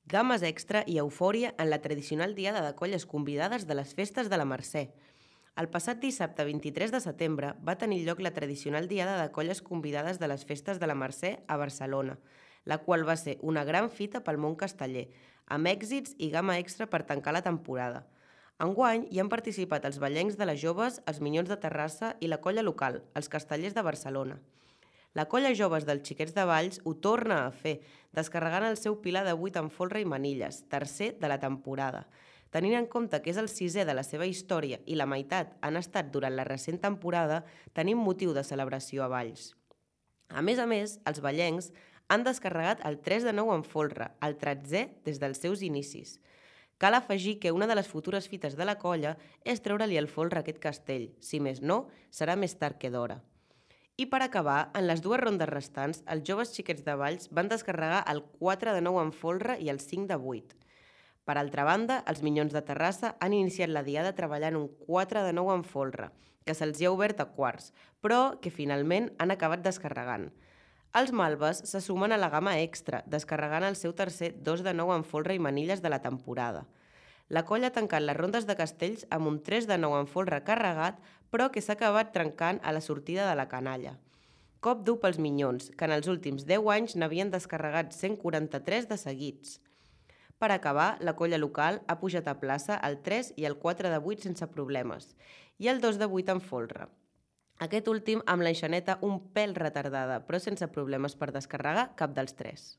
Games extra i eufòria en la tradicional diada de colles convidades de les festes de la Mercè. El passat dissabte 23 de setembre va tenir lloc la tradicional diada de colles convidades de les festes de la Mercè a Barcelona, la qual va ser una gran fita pel món casteller, amb èxits i gamma extra per tancar la temporada. Enguany hi han participat els ballencs de les joves, els Minyons de Terrassa i la colla local, els Castellers de Barcelona. La colla joves dels Xiquets de Valls ho torna a fer, descarregant el seu pilar de 8 amb folre i manilles, tercer de la temporada. Tenint en compte que és el sisè de la seva història i la meitat han estat durant la recent temporada, tenim motiu de celebració a Valls. A més, els ballencs han descarregat el 3 de 9 en folre, el 13è des dels seus inicis. Cal afegir que una de les futures fites de la colla és treure-li el folre a aquest castell, si més no, serà més tard que d'hora. I per acabar, en les dues rondes restants, els joves Xiquets de Valls van descarregar el 4 de 9 en folre i el 5 de 8. Per altra banda, els Minyons de Terrassa han iniciat la diada treballant un 4 de 9 en folre, que se'ls ha obert a quarts, però que finalment han acabat descarregant. Els Malves se sumen a la gamma extra, descarregant el seu tercer 2 de 9 en folre i manilles de la temporada. La colla ha tancat les rondes de castells amb un 3 de 9 en folre carregat, però que s'ha acabat trencant a la sortida de la canalla. Cop dur pels Minyons, que en els últims 10 anys n'havien descarregat 143 de seguits. Per acabar, la colla local ha pujat a plaça el 3 i el 4 de 8 sense problemes, i el 2 de 8 en folre. Aquest últim amb l'enxaneta un pèl retardada, però sense problemes per descarregar cap dels tres.